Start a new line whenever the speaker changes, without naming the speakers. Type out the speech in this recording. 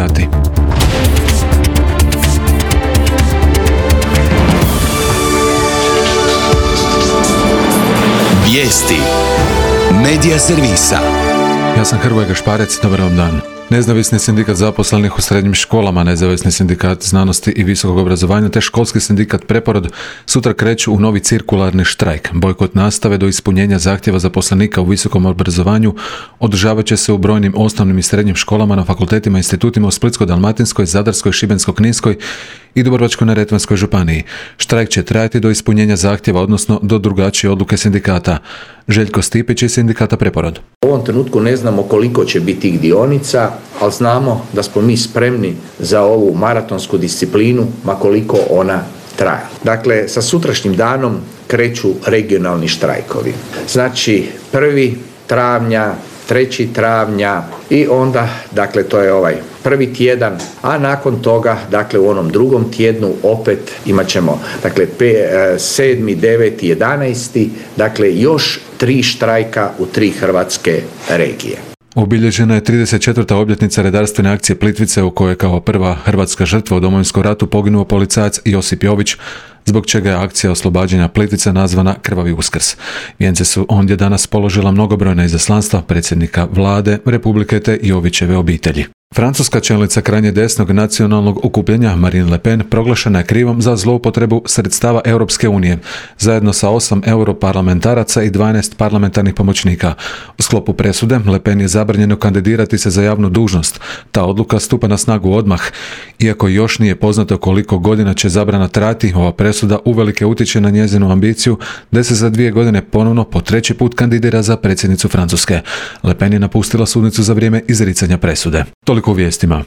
sati.
Vijesti Medija servisa.
Ja sam Hrvoje Gašparec, dobar vam dan. Nezavisni sindikat zaposlenih u srednjim školama, Nezavisni sindikat znanosti i visokog obrazovanja te školski sindikat Preporod sutra kreću u novi cirkularni štrajk. Bojkot nastave do ispunjenja zahtjeva zaposlenika u visokom obrazovanju održavat će se u brojnim osnovnim i srednjim školama, na fakultetima i institutima u Splitsko-dalmatinskoj, Zadarskoj, Šibensko-kninskoj i Dubrovačko-neretvanskoj županiji. Štrajk će trajati do ispunjenja zahtjeva, odnosno do drugačije odluke sindikata. Željko Stipić iz sindikata Preporod.
U ovom trenutku ne znamo koliko će biti tih dionica, ali znamo da smo mi spremni za ovu maratonsku disciplinu, ma koliko ona traja. Dakle, sa sutrašnjim danom kreću regionalni štrajkovi. Znači, 1. travnja, 3. travnja i onda, dakle, to je ovaj prvi tjedan, a nakon toga, dakle, u onom drugom tjednu opet imat ćemo, dakle, 7., 9., 11., dakle, još 3 štrajka u 3 hrvatske regije.
Obilježena je 34. obljetnica redarstvene akcije Plitvice, u kojoj je kao prva hrvatska žrtva u Domovinskom ratu poginuo policajac Josip Jović, zbog čega je akcija oslobađanja Plitvice nazvana Krvavi Uskrs. Vijence su ondje danas položila mnogobrojna izaslanstva predsjednika vlade Republike te Jovićeve obitelji. Francuska čelnica krajnje desnog nacionalnog okupljenja Marine Le Pen proglašena je krivom za zloupotrebu sredstava Europske unije, zajedno sa 8 europarlamentaraca i 12 parlamentarnih pomoćnika. U sklopu presude Le Pen je zabranjeno kandidirati se za javnu dužnost. Ta odluka stupa na snagu odmah. Iako još nije poznato koliko godina će zabrana trajati, ova presuda uvelike utječe na njezinu ambiciju da se za 2 godine ponovno po 3. put kandidira za predsjednicu Francuske. Le Pen je napustila sudnicu za vrijeme izricanja presude. Toliko u vijestima.